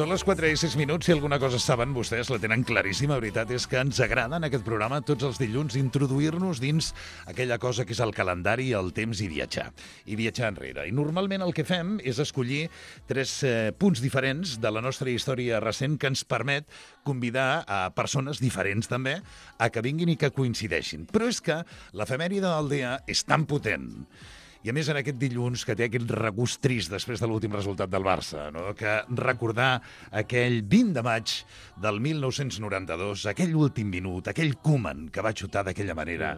Són les 4:06. Si alguna cosa saben vostès, la tenen claríssima. La veritat és que ens agrada en aquest programa tots els dilluns introduir-nos dins aquella cosa que és el calendari, el temps i viatjar. I viatjar enrere. I normalment el que fem és escollir 3 punts diferents de la nostra història recent que ens permet convidar a persones diferents també a que vinguin i que coincideixin. Però és que l'efemèride del dia és tan potent i a més en aquest dilluns que té aquest regust trist després de l'últim resultat del Barça, no? Que recordar aquell 20 de maig del 1992, aquell últim minut, aquell Koeman que va xutar d'aquella manera...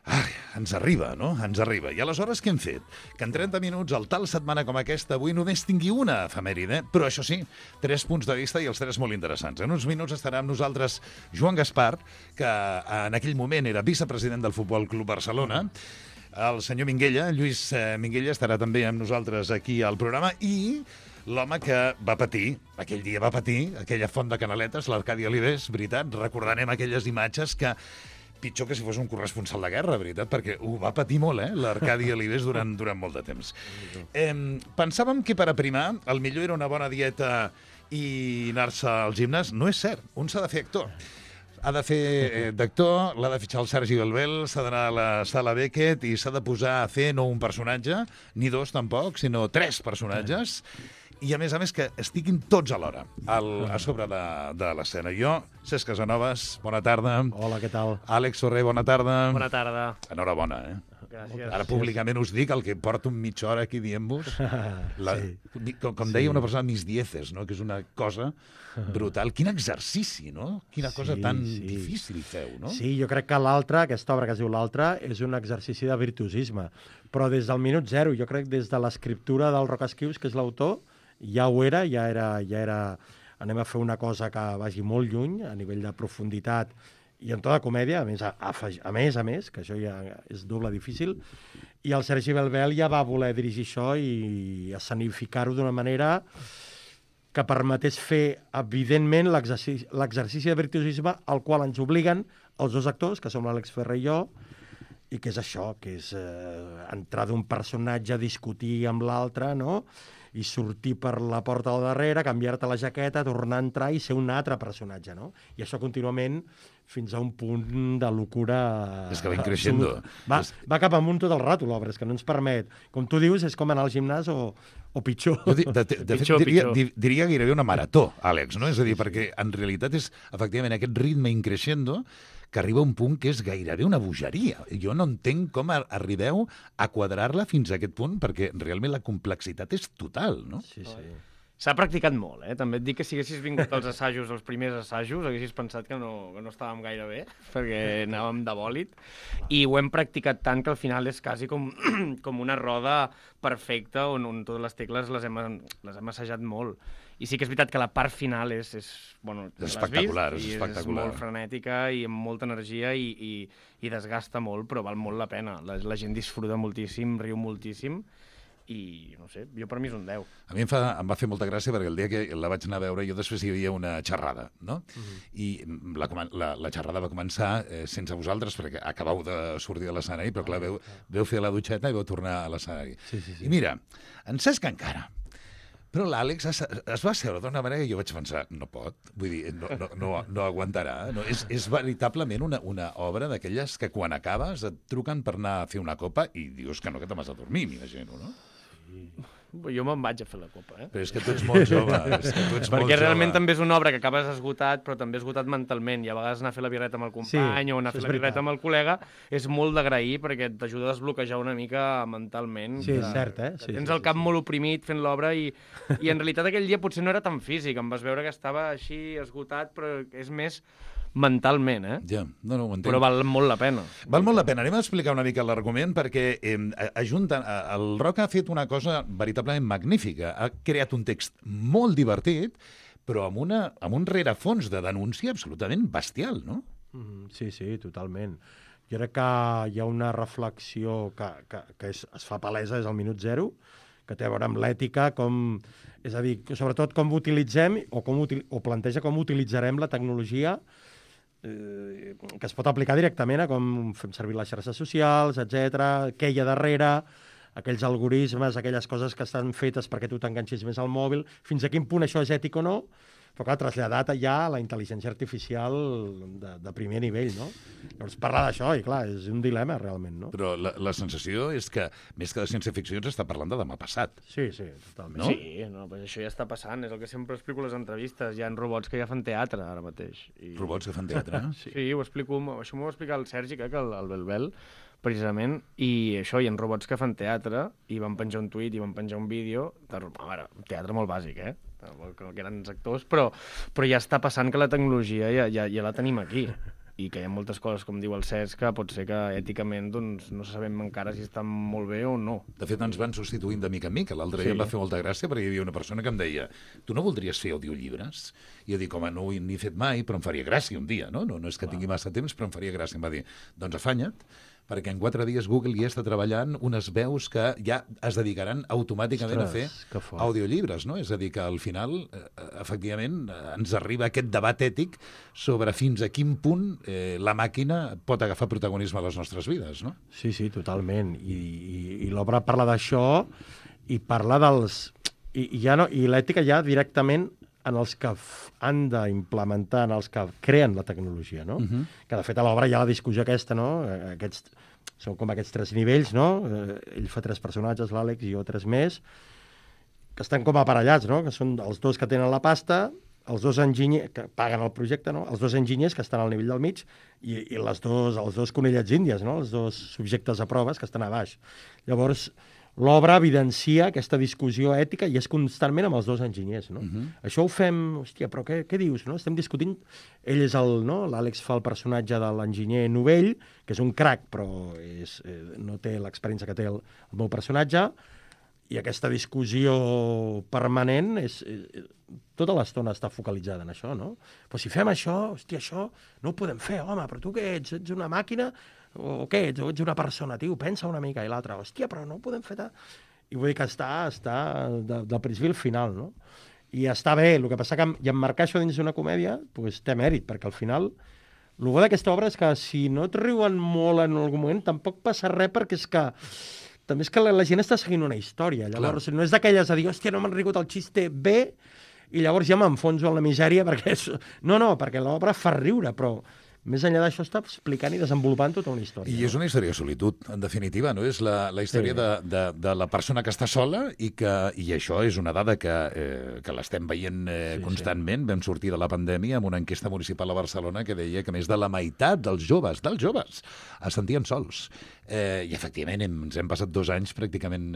Ai, ens arriba, no? Ens arriba. I aleshores què hem fet? Que en 30 minuts, el tal setmana com aquesta, avui només tingui una efemèride, però això sí, 3 punts de vista i els 3 molt interessants. En uns minuts estarà amb nosaltres Joan Gaspar, que en aquell moment era vicepresident del Futbol Club Barcelona, el senyor Minguella, Lluís Minguella, estarà també amb nosaltres aquí al programa, i l'home que va patir, aquell dia va patir, aquella font de canaletes, l'Arcadi Olives, veritat, recordarem aquelles imatges que pitjor que si fos un corresponsal de guerra, veritat, perquè ho va patir molt, l'Arcadi Olives durant molt de temps. Pensàvem que per aprimar el millor era una bona dieta i anar-se al gimnàs. No és cert, un s'ha de fer actor. Ha de fer d'actor, l'ha de fitxar el Sergi Belbel, s'ha d'anar a la sala Beckett i s'ha de posar a fer no un personatge, ni 2 tampoc, sinó 3 personatges, i a més que estiguin tots alhora a sobre de l'escena. Jo, Cesc Casanovas, bona tarda. Hola, què tal? Àlex Sorrer, bona tarda. Bona tarda. Enhorabona, Gràcies. Ara públicament us dic el que porto mitja hora aquí dient-vos. Com deia una persona, mis dieces, no? Que és una cosa brutal. Quin exercici, no? Quina cosa tan difícil feu, no? Sí, jo crec que l'altra, aquesta obra que es diu l'altra, és un exercici de virtuosisme. Però des del minut zero, jo crec des de l'escriptura del Roc Esquius, que és l'autor, ja ho era, ja era... Anem a fer una cosa que vagi molt lluny, a nivell de profunditat, i en tota comèdia, a més, que això ja és doble difícil, i el Sergi Belbel ja va voler dirigir això i escenificar-ho d'una manera que permetés fer, evidentment, l'exercici de virtuosisme al qual ens obliguen els 2 actors, que som l'Àlex Ferrer i jo, i que és això, que és entrar d'un personatge a discutir amb l'altre, no?, i sortir per la porta al darrere, canviar-te la jaqueta, tornar a entrar i ser un altre personatge, no? I això contínuament fins a un punt de locura... És que va increixendo. Va cap amunt tot el rato, l'obra, és que no ens permet. Com tu dius, és com anar al gimnàs o pitjor. Jo, de fet, diria gairebé una marató, Àlex, no? És a dir, perquè en realitat és, efectivament, aquest ritme increixendo que arriba a un punt que és gairebé una bogeria. Jo no entenc com arribeu a quadrar-la fins a aquest punt, perquè realment la complexitat és total, no? Sí. S'ha practicat molt, També et dic que si haguessis vingut als assajos, els primers assajos, haguessis pensat que no estàvem gaire bé, perquè anàvem de bòlit, i ho hem practicat tant que al final és quasi com una roda perfecta on totes les tecles les hem assajat molt. I sí que és veritat que la part final és espectacular, és espectacular. És molt frenètica i amb molta energia i desgasta molt, però val molt la pena. La gent disfruta moltíssim, riu moltíssim, i, no sé, jo per mi és un 10. A mi em va fer molta gràcia perquè el dia que la vaig anar a veure jo després hi havia una xerrada, no? I la xerrada va començar sense vosaltres perquè acabau de sortir de l'escenari, però clar, veu fer la dutxeta i vau tornar a l'escenari. Sí. I mira, en Cesc encara, però l'Àlex es va asseure d'una manera que jo vaig pensar, no pot, vull dir, no aguantarà. No? És veritablement una obra d'aquelles que quan acabes et truquen per anar a fer una copa i dius que no, que te'n vas a dormir, m'imagino, no? Jo me'n vaig a fer la copa, Però és que tu ets molt jove. Perquè realment també és una obra que acabes esgotat, però també esgotat mentalment. I a vegades anar a fer la birreta amb el company o anar a fer la birreta amb el col·lega és molt d'agrair perquè t'ajuda a desbloquejar una mica mentalment. Sí, és cert, Tens el cap molt oprimit fent l'obra i en realitat aquell dia potser no era tan físic. Em vas veure que estava així esgotat, però és més mentalment, Ja, no ho entenc. Però val molt la pena. Val molt la pena. Anem a explicar una mica l'argument perquè el Roc ha fet una cosa veritablement magnífica. Ha creat un text molt divertit, però amb un rerefons de denúncia absolutament bestial, no? Sí, totalment. Jo crec que hi ha una reflexió que es fa palesa des del minut zero, que té a veure amb l'ètica, és a dir, sobretot com utilitzem o planteja com utilitzarem la tecnologia que es pot aplicar directament a com fem servir les xarxes socials, etc, què hi ha darrere, aquells algoritmes, aquelles coses que estan fetes perquè tu t'enganxis més al mòbil, fins a quin punt això és ètic o no, però clar, traslladat ja a la intel·ligència artificial de primer nivell, no? Llavors, parlar d'això, i clar, és un dilema, realment, no? Però la sensació és que, més que de ciència-ficció, ens està parlant de demà passat. Sí, totalment. No? Sí, no, però això ja està passant, és el que sempre explico a les entrevistes, hi ha robots que ja fan teatre ara mateix. Robots que fan teatre. Sí, ho explico, això m'ho va explicar el Sergi, que el Belbel, precisament, i això, hi ha robots que fan teatre, i van penjar un tuit, i van penjar un vídeo, a veure, un teatre molt bàsic, que eren actors, però ja està passant que la tecnologia ja la tenim aquí, i que hi ha moltes coses, com diu el Cesc, que pot ser que èticament doncs, no sabem encara si estan molt bé o no. De fet, ens van substituint de mica en mica. L'altre dia em va fer molta gràcia perquè hi havia una persona que em deia tu no voldries fer audiollibres? I jo dic, home, no ho he ni fet mai, però em faria gràcia un dia, no? No és que tingui massa temps, però em faria gràcia. Em va dir, doncs afanya't, perquè en 4 dies Google ja està treballant unes veus que ja es dedicaran automàticament a fer audiollibres, no? És a dir, que al final, efectivament, ens arriba aquest debat ètic sobre fins a quin punt la màquina pot agafar protagonisme a les nostres vides, no? Sí, totalment. I l'obra parla d'això i parla dels... I l'ètica ja directament en els que han d'implementar, en els que creen la tecnologia, no? Que, de fet, a l'obra hi ha la discussió aquesta, no? Són com aquests 3 nivells, no? Ell fa 3 personatges, l'Àlex, i jo 3 més, que estan com aparellats, no? Que són els 2 que tenen la pasta, els 2 enginyers que paguen el projecte, no? Els 2 enginyers que estan al nivell del mig i els dos conillets índies, no? Els 2 subjectes a proves que estan a baix. Llavors, l'obra evidencia aquesta discussió ètica i és constantment amb els 2 enginyers, no? Això ho fem... Hòstia, però què dius, no? Estem discutint... Ell és no? L'Àlex fa el personatge de l'enginyer novell, que és un crac, però no té l'experiència que té el meu personatge, i aquesta discussió permanent tota l'estona està focalitzada en això, no? Però si fem això, hòstia, això no ho podem fer, home, però tu què ets? Ets una màquina... o què, ets una persona, tio, pensa una mica, i l'altra, hòstia, però no ho podem fer I vull dir que està del principi al final, no? I està bé, el que passa que emmarcar això dins d'una comèdia doncs té mèrit, perquè al final el bo d'aquesta obra és que si no et riuen molt en algun moment, tampoc passa res, perquè és que també és que la gent està seguint una història, llavors no és d'aquelles a dir, hòstia, no m'han rigut el xiste bé, i llavors ja m'enfonso en la misèria, perquè no, perquè l'obra fa riure, però més enllà d'això està explicant i desenvolupant tota una història. I és una història de solitud, en definitiva, no? És la història de la persona que està sola i això és una dada que l'estem veient constantment. Vam sortir de la pandèmia amb una enquesta municipal a Barcelona que deia que més de la meitat dels joves es sentien sols. I efectivament ens hem passat 2 anys pràcticament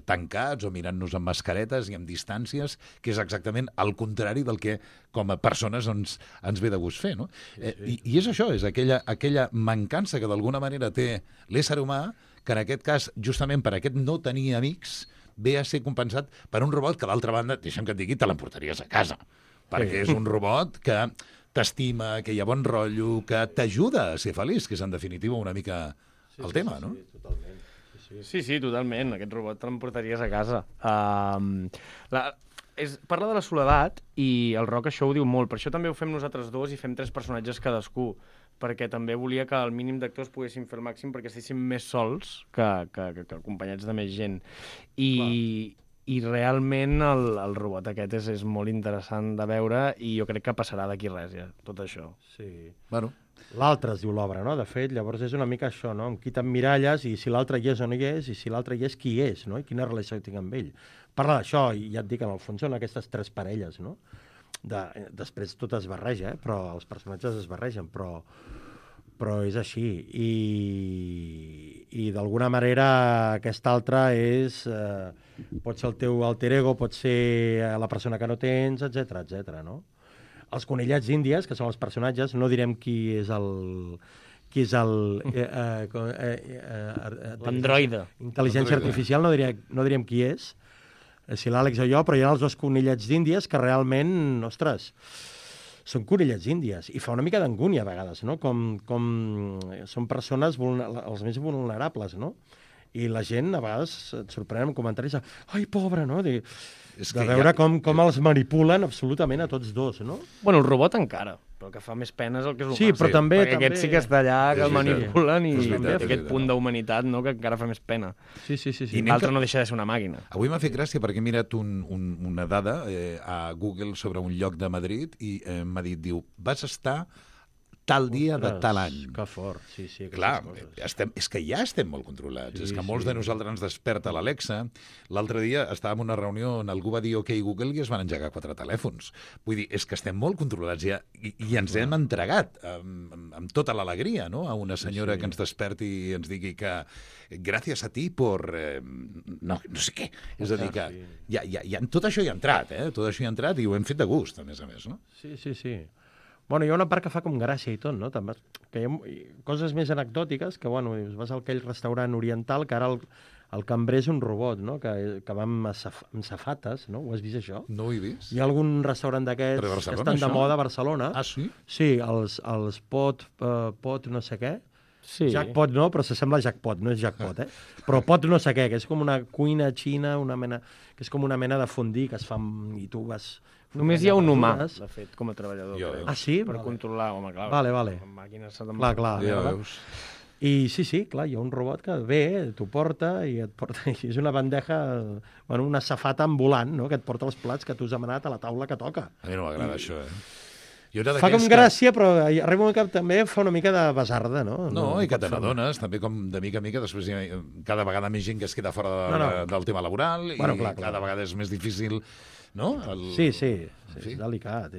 tancats o mirant-nos amb mascaretes i amb distàncies, que és exactament el contrari del que com a persones ens ve de gust fer, no? I és això, és aquella mancança que d'alguna manera té l'ésser humà, que en aquest cas, justament per aquest no tenir amics, ve a ser compensat per un robot que, d'altra banda, deixa'm que et digui, te l'emportaries a casa, perquè és un robot que t'estima, que hi ha bon rotllo, que t'ajuda a ser feliç, que és en definitiva una mica el tema, no? Sí, totalment. Sí, totalment. Aquest robot te l'emportaries a casa. Parla de la soledat i el Roc això ho diu molt. Per això també ho fem nosaltres 2 i fem 3 personatges cadascú, perquè també volia que el mínim d'actors poguessin fer el màxim perquè estiguessin més sols que acompanyats de més gent. I realment el robot aquest és molt interessant de veure i jo crec que passarà d'aquí res, ja, tot això. Sí. Bueno. L'altre es diu l'obra, no? De fet, llavors és una mica això, no? Amb qui t'emmiralles i si l'altre hi és o no hi és, i si l'altre hi és, qui és, no? I quina relació tinc amb ell. Parla d'això, i ja et dic, en el fons són aquestes 3 parelles, no? Després tot es barreja, però els personatges es barregen, però és així. I d'alguna manera aquest altre pot ser el teu alter ego, pot ser la persona que no tens, etc, no? Els conillets índies, que són els personatges, no direm qui és l'androide. Intel·ligència artificial, no direm qui és, si l'Àlex o jo, però hi ha els 2 conillets d'índies que realment, ostres, són conillets índies, i fa una mica d'angúnia a vegades, no? Com són persones els més vulnerables, no? I la gent a vegades et sorprèn amb comentaris de ai, pobre, no? De veure com els manipulen absolutament a tots 2, no? Bueno, el robot encara, però el que fa més pena és el que és humà. Sí, però també... Perquè aquest sí que està allà, que el manipulen i aquest punt no? d'humanitat, no?, que encara fa més pena. Sí. I l'altre no deixa de ser una màquina. Avui m'ha fet gràcia perquè he mirat una dada a Google sobre un lloc de Madrid i m'ha dit, diu, vas estar tal dia de tal any. Que fort, sí. Clar, és que ja estem molt controlats. És que molts de nosaltres ens desperta l'Alexa. L'altre dia estàvem en una reunió on algú va dir OK Google i es van engegar 4 telèfons. Vull dir, és que estem molt controlats ja i ens hem entregat amb tota l'alegria, no?, a una senyora que ens desperti i ens digui que gràcies a ti por... no sé què. És a dir, que ja, tot això hi ha entrat, tot això hi ha entrat i ho hem fet de gust, a més, no? Sí. Bueno, hi ha una part que fa com gràcia i tot, no? També, que hi ha coses més anecdòtiques, que, bueno, vas a aquell restaurant oriental, que ara el cambrer és un robot, no?, que va amb safates, no? Ho has vist, això? No ho he vist. Hi ha algun restaurant d'aquests que estan de moda a Barcelona. Ah, sí? Sí, els pot no sé què. Sí. Jackpot no, però s'assembla a Jackpot, no és Jackpot, però pot no sé què, que és com una cuina xina, que és com una mena de fondí que es fa i tu vas... Només hi ha un humà, de fet, com a treballador. Crec. Ah, sí? Per controlar, home, clar. Vale. Amb màquines... Clar. Ja veus. I sí, clar, hi ha un robot que ve, t'ho porta i et porta... I és una bandeja, bueno, una safata ambulant, no?, que et porta els plats que tu has demanat a la taula que toca. A mi no m'agrada això, Fa com gràcia, però arriba un que també fa una mica de basarda, no? No, i que te n'adones, també com de mica en mica, després cada vegada més gent que es queda fora del tema laboral i cada vegada és més difícil, no? Sí, és delicat.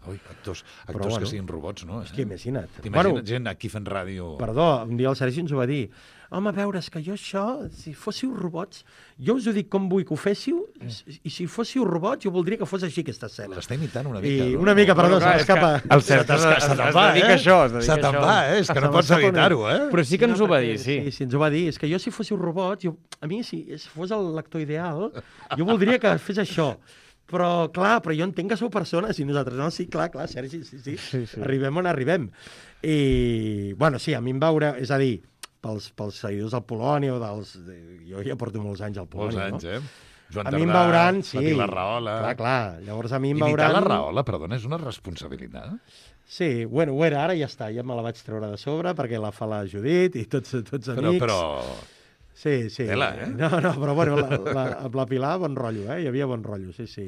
Ui, actors que siguin robots, no? És que imagina't. T'imagines gent aquí fent ràdio... Perdó, un dia el Sergi ens ho va dir. Home, a veure, és que jo això, si fóssiu robots, jo us ho dic com vull que ho féssiu, i si fóssiu robots, jo voldria que fos així aquesta escena. L'està imitant una mica, no? Una mica, perdó, se m'escapa. El Cert es dedica a això. Se te'n va, és que no pots evitar-ho, Però sí que ens ho va dir, sí. Sí, ens ho va dir. És que jo, si fóssiu robots, a mi, si fos l'actor ideal, jo voldria que fes això. Però jo entenc que sou persones i nosaltres, no, sí, clar, Sergi, sí. Arribem on arribem. I, bueno, sí, a mi em veure, és a dir, pels seguidors del Polònia o dels... Jo ja porto molts anys al Polònia, no? Molts anys, Joan Tardà, a mi em veuran, sí. la Pilar Rahola... Clar, llavors a mi em veuran... Imitar la Rahola, perdona, és una responsabilitat? Sí, bueno, ho era, ara ja està, ja me la vaig treure de sobre perquè la fa la Judit i tots amics... Però... Sí. Tela, No, però bueno, amb la Pilar, bon rotllo, hi havia bon rotllo, sí.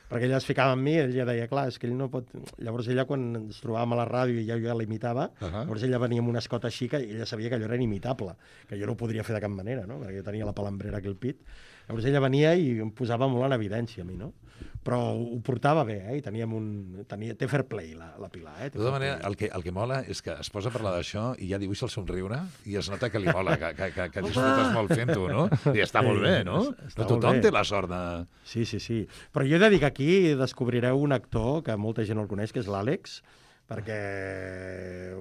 Perquè ella es ficava amb mi, ella deia, clar, és que ell no pot... Llavors ella, quan ens trobàvem a la ràdio i jo ja l'imitava, llavors ella venia amb una escota així que ella sabia que allò era inimitable, que jo no ho podria fer de cap manera, no?, perquè jo tenia la palambrera aquí al pit. Llavors ella venia i em posava molt en evidència a mi, no? Però ho portava bé, i té fair play, la Pilar, De tota manera, el que mola és que es posa a parlar d'això i ja dibuixa el somriure i es nota que li mola, que disfrutes molt fent-ho, no? I està molt bé, no? Però tothom té la sort de... Sí. Però jo he de dir que aquí descobrireu un actor que molta gent no el coneix, que és l'Àlex, perquè,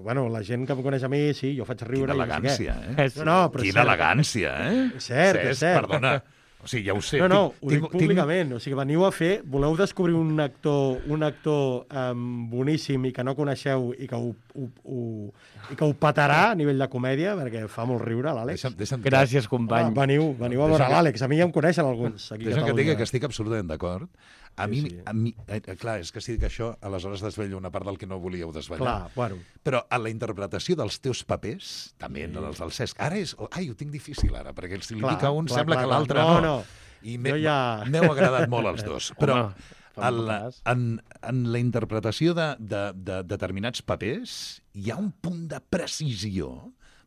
bueno, la gent que em coneix a mi, sí, jo faig riure... Quina elegància, Quina elegància, És cert. Perdona. O sigui, ja ho sé. No, ho dic públicament. O sigui, veniu a fer... Voleu descobrir un actor boníssim i que no coneixeu i que ho petarà a nivell de comèdia, perquè fa molt riure, l'Àlex. Gràcies, company. Veniu a veure l'Àlex. A mi ja em coneixen alguns. Deixa'm que digui que estic absolutament d'acord. A mi, clar, és que si dic això, aleshores desvello una part del que no volíeu desvetllar. Clar, bueno. Però a la interpretació dels teus papers, també en els del Cesc, ara és... Ai, ho tinc difícil ara, perquè si li dic a un sembla que l'altre no. I m'heu agradat molt els dos. Però en la interpretació de determinats papers hi ha un punt de precisió,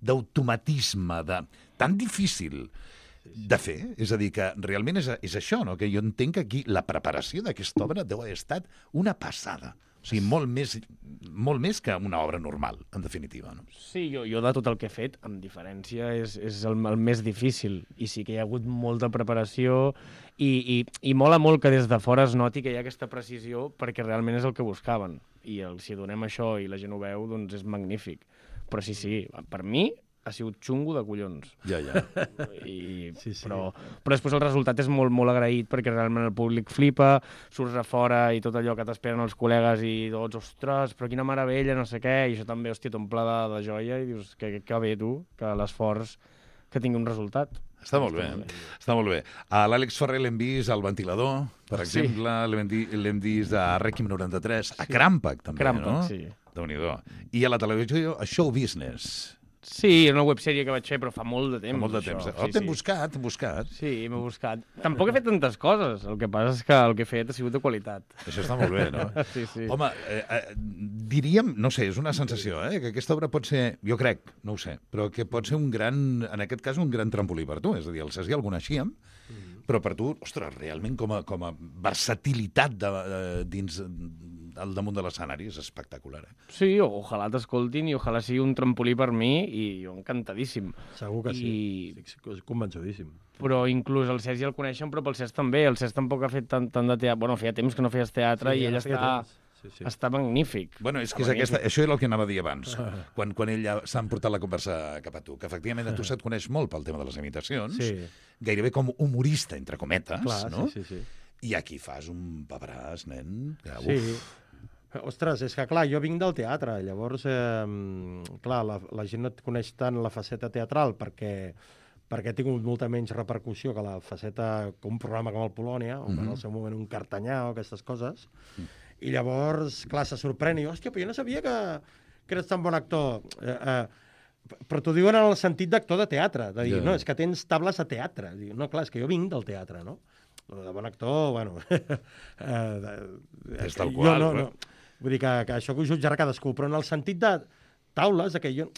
d'automatisme, tan difícil de fer, és a dir, que realment és això, no? Que jo entenc que aquí la preparació d'aquesta obra deu haver estat una passada. O sigui, molt més que una obra normal, en definitiva. No? Sí, jo de tot el que he fet, amb diferència, és el més difícil. I sí que hi ha hagut molta preparació i mola molt que des de fora es noti que hi ha aquesta precisió perquè realment és el que buscaven. I si donem això i la gent ho veu, doncs és magnífic. Però sí, per mi ha sigut xungo de collons. Ja. Però després el resultat és molt, molt agraït perquè realment el públic flipa, surts a fora i tot allò que t'esperen els col·legues i tots, ostres, però quina meravella, no sé què, i això també, hòstia, t'omple de joia i dius que bé tu, que l'esforç que tingui un resultat. Està molt bé. Està molt bé. A l'Àlex Ferrer l'hem vist al Ventilador, per exemple, l'hem vist a Requiem 93, a Crampac, també, no? Sí. Déu-n'hi-do. I a la televisió, a Show Business. Sí, una websèrie que vaig fer, però fa molt de temps. Fa molt de temps. T'hem buscat. Sí, m'he buscat. Tampoc he fet tantes coses. El que passa és que el que he fet ha sigut de qualitat. Això està molt bé, no? Sí. Home, diríem, no sé, és una sensació, que aquesta obra pot ser, jo crec, no ho sé, però que pot ser un gran, en aquest cas, un gran trampolí per tu. És a dir, el Cesc i el coneixíem, però per tu, ostres, realment com a versatilitat dins al damunt de l'escenari és espectacular. Sí, ojalà t'escoltin i ojalà sigui un trampolí per mi i jo encantadíssim. Segur que sí, estic convençudíssim. Però inclús el Cesc ja el coneixen, però pel Cesc també. El Cesc tampoc ha fet tant de teatre. Bueno, feia temps que no feies teatre i ell està magnífic. Bueno, és que això era el que anava a dir abans, quan ell ja s'ha portat la conversa cap a tu, que efectivament a tu se't coneix molt pel tema de les imitacions, gairebé com humorista, entre cometes, no? Sí. I aquí fas un paperàs, nen, que sí. Ostres, és que clar, jo vinc del teatre, llavors, clar, la gent no et coneix tant la faceta teatral perquè ha tingut molta menys repercussió que la faceta, com un programa com el Polònia, o en el seu moment un Cartanyà o aquestes coses, i llavors, clar, se sorprèn, i hòstia, però jo no sabia que eres tan bon actor. Però t'ho diuen en el sentit d'actor de teatre, de dir, no, és que tens tables a teatre. Diu, no, clar, és que jo vinc del teatre, no? De bon actor, bueno... és tal qual, no. Vull dir que això que ho jutjarà cadascú, però en el sentit de taules, que jo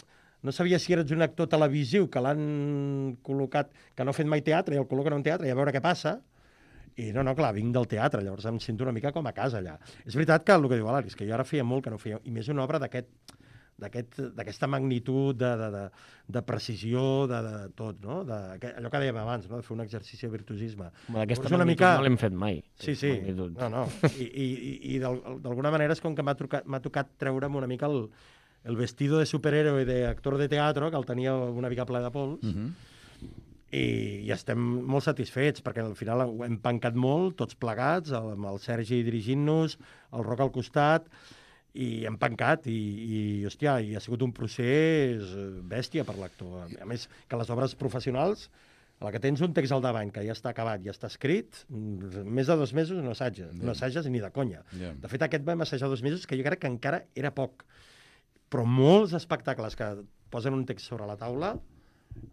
no sabia si eres un actor televisiu que l'han col·locat, que no ha fet mai teatre, i el col·loquen en un teatre i a veure què passa, i no, clar, vinc del teatre, llavors em sento una mica com a casa allà. És veritat que el que diu l'Àlex, que jo ara feia molt que no feia, i més una obra d'aquesta magnitud de precisió, de tot, no? Allò que dèiem abans, no? De fer un exercici de virtuosisme. D'aquesta magnitud no l'hem fet mai. Sí. No. I d'alguna manera és com que m'ha tocat treure'm una mica el vestido de superhéroe d'actor de teatre, que el tenia una mica ple de pols, i estem molt satisfets, perquè al final ho hem pencat molt, tots plegats, amb el Sergi dirigint-nos, el Roc al costat, i hem pencat, i hòstia, i ha sigut un procés bèstia per l'actor. A més, que les obres professionals, a la que tens un text al davant, que ja està acabat, ja està escrit, més de 2 mesos no assages ni de conya. De fet, aquest vam assajar 2 mesos, que jo crec que encara era poc. Però molts espectacles que posen un text sobre la taula,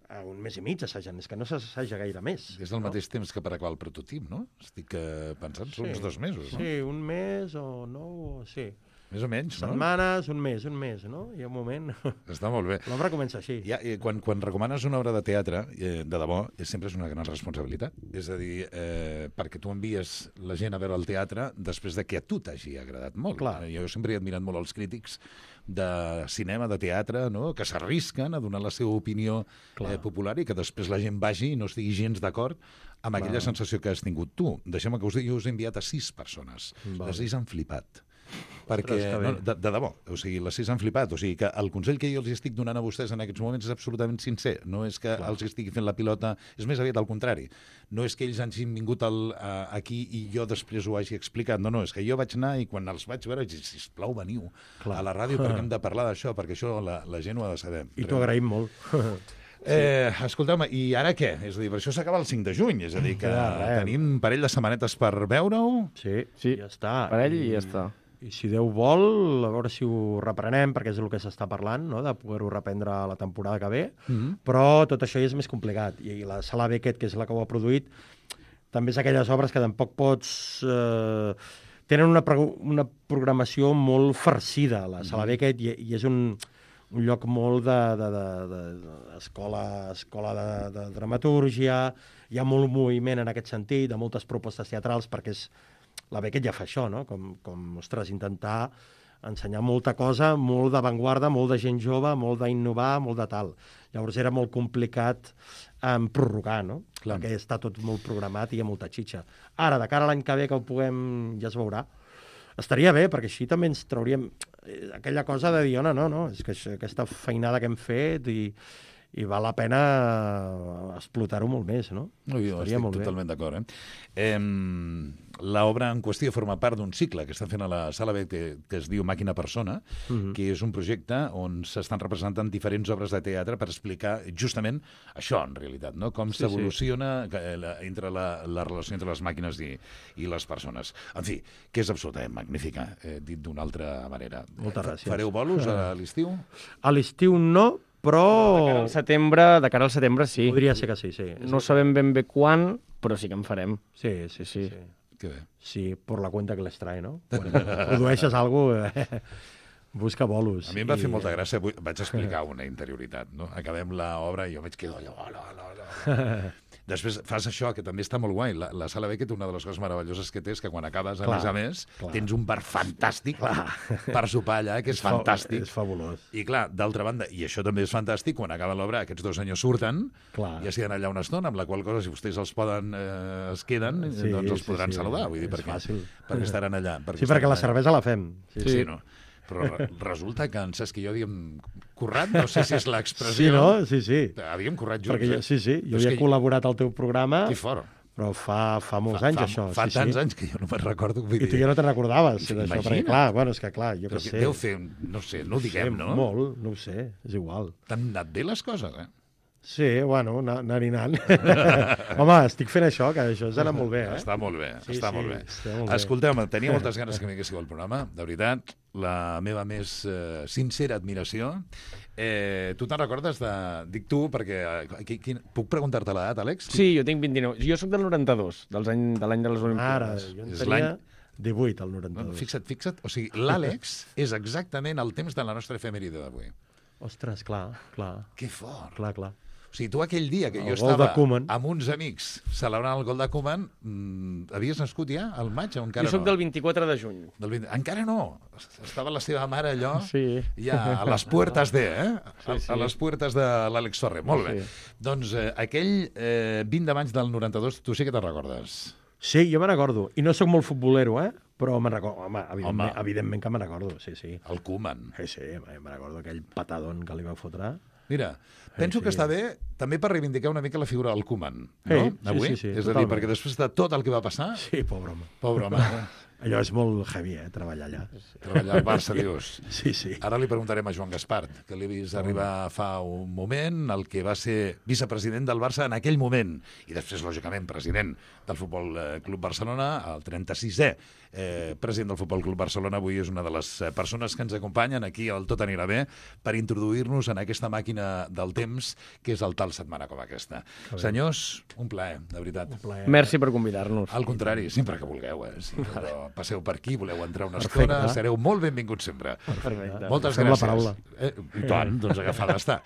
a 1 mes i mig assagen, és que no s'assaja gaire més. És el mateix temps que per acabar el prototip, no? Estic pensant, són uns 2 mesos, no? Sí, 1 mes o 9, sí. Més o menys, no? Setmanes, un mes, no? Hi ha un moment... Està molt bé. L'obra comença així. Quan recomanes una obra de teatre, de debò, sempre és una gran responsabilitat. És a dir, perquè tu envies la gent a veure el teatre després de que a tu t'hagi agradat molt. Clar. Jo sempre he admirat molt els crítics de cinema, de teatre, no? Que s'arrisquen a donar la seva opinió popular i que després la gent vagi i no estigui gens d'acord amb aquella sensació que has tingut tu. Deixem-me que us digui, jo us he enviat a 6 persones. Les 6 han flipat. Perquè, de debò, o sigui, les 6 han flipat, o sigui que el consell que jo els estic donant a vostès en aquests moments és absolutament sincer, no és que els estigui fent la pilota, és més aviat al contrari, no és que ells hagin vingut aquí i jo després ho hagi explicat, no, és que jo vaig anar i quan els vaig veure vaig dir, sisplau, veniu a la ràdio perquè hem de parlar d'això, perquè això la gent ho ha de saber. I t'ho agraïm molt. Escolteu-me, i ara què? És a dir, per això s'acaba el 5 de juny, és a dir que tenim un parell de setmanetes per veure-ho. Sí, ja està. Parell i ja està. I si Déu vol, a veure si ho reprenem, perquè és el que s'està parlant, no? De poder-ho reprendre la temporada que ve, però tot això ja és més complicat. I la Sala Beckett, que és la que ho ha produït, també és aquelles obres que tampoc pots... Tenen una programació molt farcida, la Sala Beckett, i és un lloc molt d'escola de dramatúrgia, hi ha molt moviment en aquest sentit, de moltes propostes teatrals, perquè la Beckett ja fa això, no? Com, ostres, intentar ensenyar molta cosa, molt d'avantguarda, molt de gent jove, molt d'innovar, molt de tal. Llavors era molt complicat prorrogar, no? Clar. Perquè està tot molt programat i hi ha molta xitxa. Ara, de cara a l'any que ve que ho puguem, ja es veurà. Estaria bé, perquè així també ens trauríem aquella cosa de dir, no, és que aquesta feinada que hem fet i val la pena explotar-ho molt més, no? Ui, jo estic totalment d'acord. L'obra en qüestió forma part d'un cicle que estan fent a la Sala B que es diu Màquina Persona, que és un projecte on s'estan representant diferents obres de teatre per explicar justament això, en realitat, no? Com s'evoluciona entre la relació entre les màquines i les persones. En fi, que és absolutament magnífica, dit d'una altra manera. Moltes gràcies. Fareu bolos a l'estiu? A l'estiu no, però... De cara al setembre, sí. Podria ser que sí, sí. No sabem ben bé quan, però sí que en farem. Sí. Que bé. Sí, por la cuenta que les trae, no? Quan produeixes alguna cosa, busca bolos. A mi em va fer molta gràcia, vaig explicar una interioritat, no? Acabem l'obra i jo vaig quedar allò. Després fas això, que també està molt guai. La Sala Beckett, una de les coses meravelloses que té és que quan acabes, a més, tens un bar fantàstic per sopar allà, que és fantàstic. És fabulós. I clar, d'altra banda, i això també és fantàstic, quan acaba l'obra, aquests 2 senyors surten, ja s'hi allà una estona, amb la qual cosa, si vostès es queden, doncs els podran saludar. Vull dir, perquè estaran allà. Sí, perquè la cervesa la fem. Sí, no? Però resulta que en Cesc i jo havíem currat, no sé si és l'expressió... Sí, no? Sí. Havíem currat junts. Perquè jo havia col·laborat al teu programa, que fort. Però fa molts anys, això. Fa tants anys que jo no me'n recordo. I tu ja no te'n recordaves d'això, perquè clar, jo què sé. Deu fer, no sé, no ho diguem, no? Molt, no ho sé, és igual. T'han anat bé les coses, Sí, bueno, anant. Home, estic fent això, que això ens ha anat molt bé, Està molt bé. Escolteu-me, tenia moltes ganes que vinguéssiu al programa, de veritat, la meva més sincera admiració. Tu te'n recordes de... Dic tu, perquè... Puc preguntar-te l'edat, Àlex? Sí, jo tinc 29. Jo sóc del 92, de l'any de les Olimpíades. Ara, jo en tenia 18, al 92. Fixa't. O sigui, l'Àlex és exactament el temps de la nostra efemèride d'avui. Ostres, clar. Que fort. Clar. O sigui, tu aquell dia que jo estava amb uns amics celebrant el gol de Koeman, havies nascut ja al maig o encara no? Jo soc del 24 de juny. Encara no. Estava la seva mare allò, ja a les puertes a les puertes de l'Àlex Torre. Molt bé. Doncs aquell 20 de maig del 92, tu sí que te'n recordes? Sí, jo me'n recordo. I no sóc molt futbolero, però me'n recordo. Home, evidentment que me'n recordo, sí. El Koeman. Sí, me'n recordo aquell patadón que li va fotre. Mira, penso que està bé també per reivindicar una mica la figura del Koeman, no? Avui? Sí, és a dir, perquè després de tot el que va passar... Sí, pobre home. Allò és molt heavy, treballar allà. Treballar al Barça, dius. Sí. Ara li preguntarem a Joan Gaspart, que l'he vist arribar fa un moment, el que va ser vicepresident del Barça en aquell moment, i després, lògicament, president del Futbol Club Barcelona, el 36è president del Futbol Club Barcelona, avui és una de les persones que ens acompanyen aquí al Tot anirà bé per introduir-nos en aquesta màquina del temps que és el tal setmana com aquesta. Senyors, un plaer, de veritat. Merci per convidar-nos. Al contrari, sempre que vulgueu. Si passeu per aquí, voleu entrar una estona, sereu molt benvinguts sempre. Perfecte. Moltes gràcies. I tant, doncs agafada està.